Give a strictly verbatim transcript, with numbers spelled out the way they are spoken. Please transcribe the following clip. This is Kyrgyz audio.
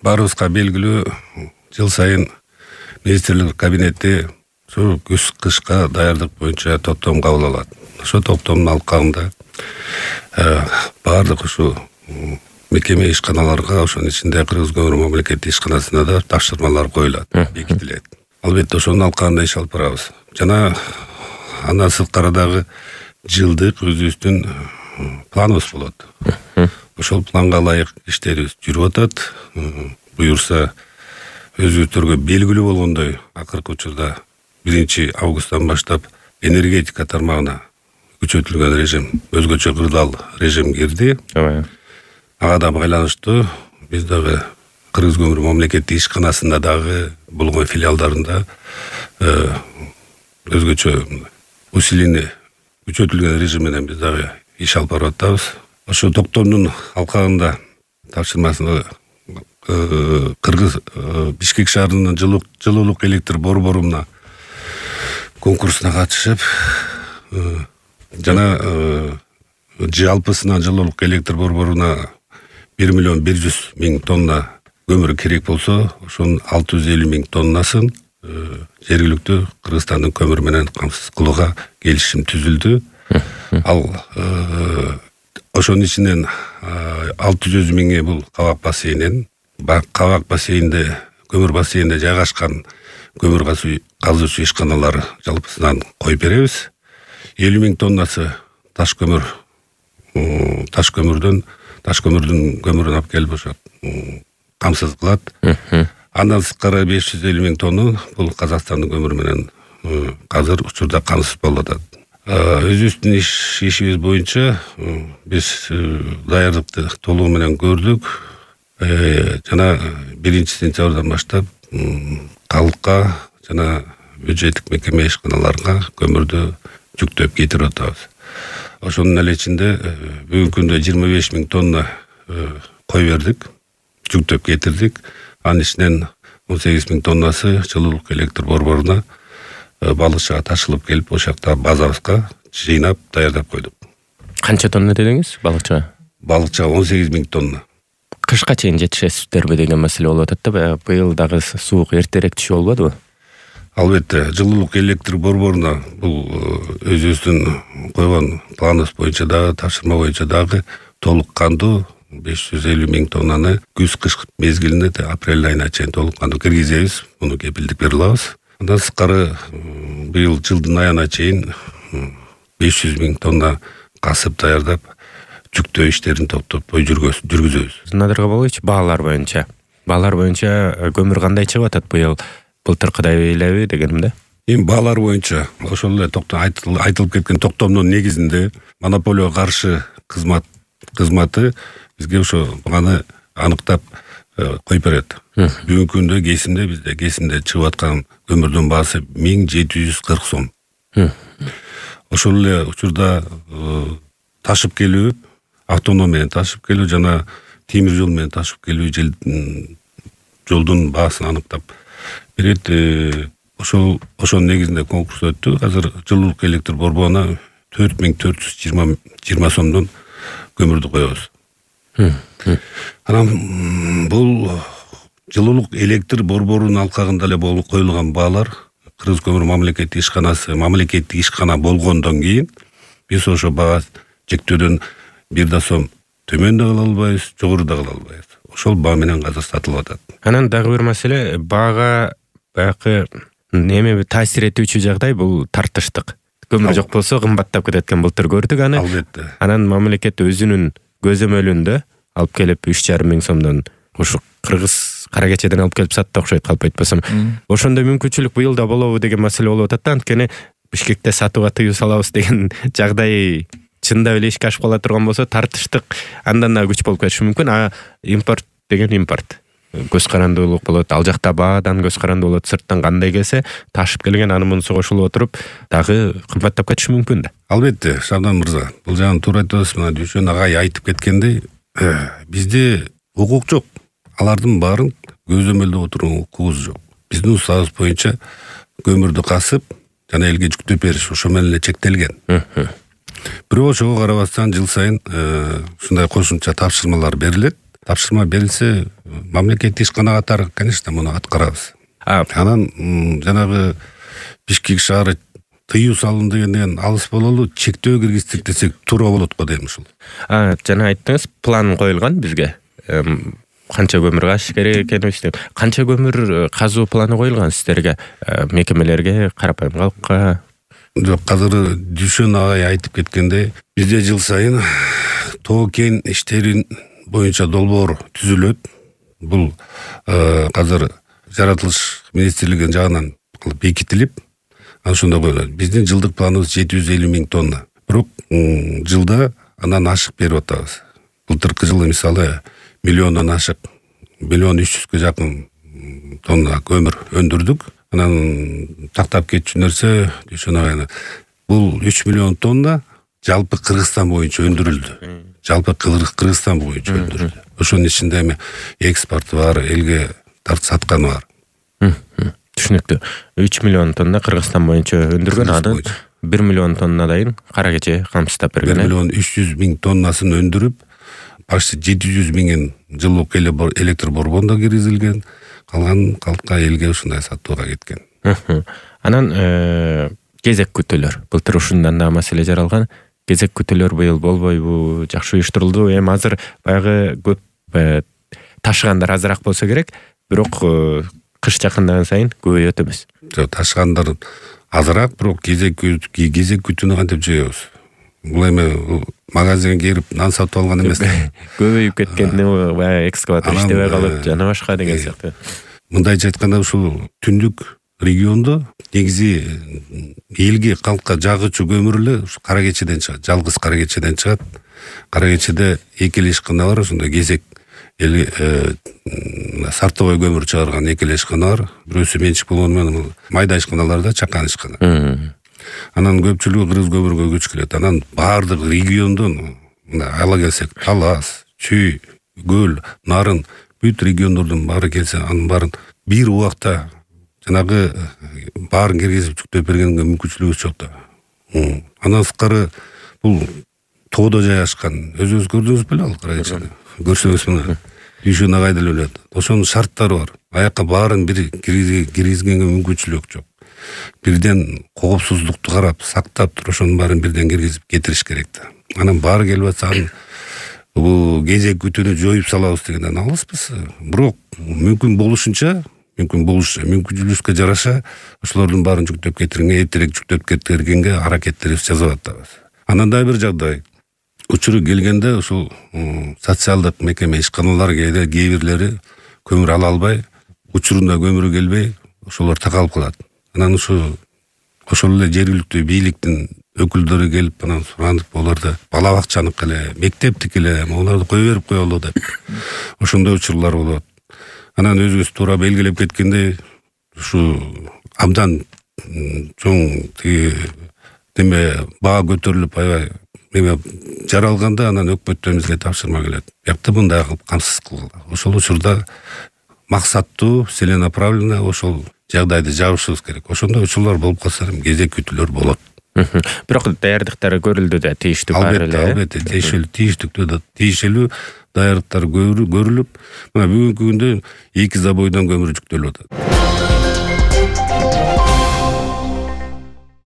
баарыбызга белгилүү, жыл сайын министрлик кабинети ушу күз кышка даярдык боюнча топтом кабыл алат. Ошо топтомдун алкагында баардык ушу мекеме ишканаларга, ошонун ичинде Кыргыз көмүр мамлекеттик ишканасына да тапшырмалар коюлат, бекитилет. Албетте ошонун алкагында иш алып барабыз. Жана андан сырткары дагы жылдык өзүбүздүн планыбыз болот. Ошол планга ылайык иштерибиз жүрүп атат. Буюрса өзүбүздөргө белгилүү болгондой, акыркы учурда биринчи августтан баштап энергетика тармагына күчөтүлгөн режим, өзгөчө кырдаал режим кирди. Ага да байланыштуу биз дагы Кыргыз көмүр мамлекеттик ишканасында дагы болгон филиалдарында өзгөчө усиление күчөтүлгөн режим менен биз дагы иш алып барып атабыз. Ошо токтомдун алкагында тапшырмасына Кыргыз Бишкек шаарынын жылуулук электр борборуна конкурсуна катышып, жана жалпысына жылуулук электр борборуна бир миллион бир жүз миң тонна көмүр керек болсо, ошонун алты жүз элүү миң тоннасын жергиликтүү Кыргызстандын көмүр менен камсыз кылууга келишим түзүлдү. Ал ошонун ичинен алты жүз миңи бул Кабак бассейнинен, Кабак бассейнинде, көмүр бассейнинде жайгашкан көмүр казуучу ишканалар жалпысынан коюп беребиз. элүү миң тоннасы таш көмүр, таш көмүрдөн, таш көмүрдүн көмүрүн алып келип ошо камсыз кылат. Андан сырткары беш жүз элүү миң тонну бул Казакстандын көмүрү менен азыр учурда камсыз болуп атат. Өзүбүздүн иш ишибиз боюнча биз даярдыкты толугу менен көрдүк. Жана биринчи сентябрдан баштап калкка жана бюджеттик мекеме ишканаларга көмүрдү жүктөп кетирип атабыз. Ошонун эле ичинде бүгүнкү күндө жыйырма беш миң тонна кой бердик, жүктөп кетирдик. Анын ичинен он сегиз миң тоннасы жылуулук электр борборуна балыкчыга ташылып келип, ошол жакта базабызга жыйнап даярдап койдук. Канча тонна дедиңиз балыкчыга? Балыкчыга он сегиз миң тонна. Кышка чейин жетишесиздерби деген маселе болуп атат да, быйыл дагы суук эртерээк түшүп болбодубу? Албетте, жылуулук электр борборуна бул өзүбүздүн койгон планыбыз боюнча дагы, тапшырма боюнча дагы толук кандуу беш жүз элүү миң тоннаны күз кыш мезгилинде апрель айына чейин толук кандуу киргизебиз. Муну кепилдик бере алабыз. Андан сырткары быйыл жылдын аягына чейин беш жүз миң тонна касып даярдап, жүктөө иштерин топтоп жүргүзөбүз. Надыр Кабалович, баалар боюнча. Баалар боюнча көмүр кандай чыгып атат быйыл? Былтыркыдай элеби дегеним да. Эми баалар боюнча ошол эле токтом айтылып кеткен токтомдун негизинде монополияга каршы кызмат кызматы бизге ошо баганы аныктап коюп берет. Бүгүнкү күндө кесимде бизде кесимде чыгып аткан көмүрдүн баасы миң жети жүз кырк сом. Ошол эле учурда ташып келүү, автоном менен ташып келүү жана темир жол менен ташып келүү жолдун баасын аныктап берет. Ошол ошонун негизинде конкурс өттү. Азыр жылуулук электр борборуна төрт миң төрт жүз жыйырма сомдон көмүрдү коебуз. Анан бул жылуулук электр борборунун алкагында эле коюлган баалар Кыргыз көмүр мамлекеттик ишканасы мамлекеттик ишкана болгондон кийин биз ошо баа чектөөдөн бир да сом төмөн да кыла албайбыз, жогору да кыла албайбыз. Ошол баа менен азыр сатылып атат. Анан дагы бир маселе, баага баягы неме таасир этүүчү жагдай бул тартыштык. Көмүр жок болсо кымбаттап кетет экен, былтыр көрдүк аны. Албетте. Анан мамлекет өзүнүн көзөмөлүндө алып келип үч жарым миң сомдон ушу Кыргыз кара кечеден алып келип сатты окшойт, калп айтпасам. Ошондой мүмкүнчүлүк быйыл да болобу деген маселе болуп атат да. Анткени Бишкекте сатууга тыюу салабыз деген жагдай чындап эле ишке ашып кала турган болсо, тартыштык андан да күч болуп кетиши мүмкүн. А импорт деген импорт. Көз карандуулук болот, ал жакта баадан көз карандуу болот, сырттан кандай келсе, ташып келген аны мунусу кошулуп отуруп, дагы кымбаттап кетиши мүмкүн да. Албетте, Шабдан мырза, бул жагын туура айтасыз. Мына Дүйшөн агай айтып кеткендей, бизде укук жок. Алардын баарын көзөмөлдөп отурган укугубуз жок. Биздин усабыбыз боюнча көмүрдү касып жана элге жүктөп бериш ошо менен эле чектелген. Бирок ошого карабастан жыл сайын ушундай кошумча тапшырмалар берилет. тапшырма берилсе, мамлекеттик ишкана катары, конечно, муну аткарабыз. Анан жанагы Бишкек шаары тыюу салынды дегенден алыс бололу, чектөө киргиздик десек туура болот го дейм ушул. Жана айттыңыз, план коюлган бизге. Канча көмүр каш керек экенин, канча көмүр казуу планы коюлган сиздерге, мекемелерге, карапайым калкка? Жок, азыр Дүйшөн агай айтып кеткендей, бизде жыл сайын тоо кен иштерин боюнча долбоор түзүлөт. Бул азыр жаратылыш министрлигинин жагынан бекитилип, ошондо коюлат. Биздин жылдык планыбыз жети жүз элүү миң тонна. Бирок жылда андан ашык берип атабыз. Былтыркы жылы мисалы миллиондон ашык, миллион үч жүзгө жакын тонна көмүр өндүрдүк. Анан тактап кетчү нерсе, Дүйшөн агай, бул үч миллион тонна жалпы Кыргызстан боюнча өндүрүлдү. Жалпы Кыргызстан боюнча өндүрүлдү. Ошонун ичинде эми экспорт бар, элге тарт саткан бар. Түшүнүктүү. үч миллион тонна Кыргызстан боюнча өндүргөн, анан бир миллион тоннадайын кара кече камсыздап берген. бир миллион үч жүз миң тоннасын өндүрүп, почти жети жүз миңин жылуулук электр борборуна киргизилген, калган калкка элге ушундай сатууга кеткен. Анан кезек күтүүлөр. Былтыр ушундан да маселе жаралган. Кезек күтүүлөр быйыл болбойбу, жакшы уюштурулду. Эми азыр баягы көп ташыгандар азыраак болсо керек, бирок кыш жакындаган сайын көбөйөт эмес. Жок, ташыгандар азыраак, бирок кезек кезек күтүүнү кантип жыйабыз? Бул эми магазинге кирип нан сатып алган эмес. Көбөйүп кеткенди баягы экскаватор иштебей калып, жана башка деген сыяктуу. Мындайча айтканда, ушул түндүк региондо негизи элге калкка жагычу көмүр эле кара кечеден чыгат, жалгыз кара кечеден чыгат. Кара кечеде эки эле ишкана бар, ошондой кезек эли сартовой көмүр чыгарган эки эле ишкана бар. Бирөөсү менчик болгону менен майда ишканаларда чакан ишкана. Анан көпчүлүгү кыргыз көмүргө көчүп келет. Анан баардык региондон ала келсек, Талас, Чүй, Көл, Нарын, бүт региондордун баары келсе, анын баарын бир убакта жанагы баарын киргизип жүктөп бергенге мүмкүнчүлүгүбүз жок да. Андан сырткары бул тоодо жайгашкан. Өзүңүз көрдүңүз беле ал кара кечени? Көрсөңүз мына Дүйшөн агай деле билет. Ошонун шарттары бар. Аякка баарын бир киргизгенге мүмкүнчүлүк жок. Бирден коопсуздукту карап, сактап туруп, ошонун баарын бирден киргизип кетириш керек да. Анан баары келип атса, бул кезек күтүүнү жоюп салабыз дегенден алыспыз. Бирок мүмкүн болушунча, мүмкүн болуш, мүмкүнчүлүккө жараша ошолордун баарын жүктөп кетиргенге, эртерээк жүктөп кетиргенге аракеттерибиз жасап атабыз. Анан да бир жагдай. Учуру келгенде ушул социалдык мекеме ишканалар кээ бирлери көмүр ала албай, учурунда көмүрү келбей, ошолор такалып калат. Анан ушу ошол эле жергиликтүү бийликтин өкүлдөрү келип, анан суранып, оларды бала бакчаныкы эле, мектептики эле, оларды кое берип коелу деп. Ошондой учурлар болот. Анан өзүбүз туура белгилеп кеткендей, ушу абдан чоң тиги неме баа көтөрүлүп, аябай эме жаралганда, анан өкмөтүбүзгө тапшырма келет. Биякта мындай кылып камсыз кылгыла. Ошол учурда максаттуу, целенаправленно ошол жагдайды жабышыбыз керек. Ошондой учурлар болуп калса, кезек күтүүлөр болот. Бирок даярдыктары көрүлдү да, тийиштүү бар эле. Албетте, тийиштүү, тийиштүү, тийиштүү даярдыктар көрүлүп, мына бүгүнкү күндө эки забойдон көмүр жүктөлүп атат.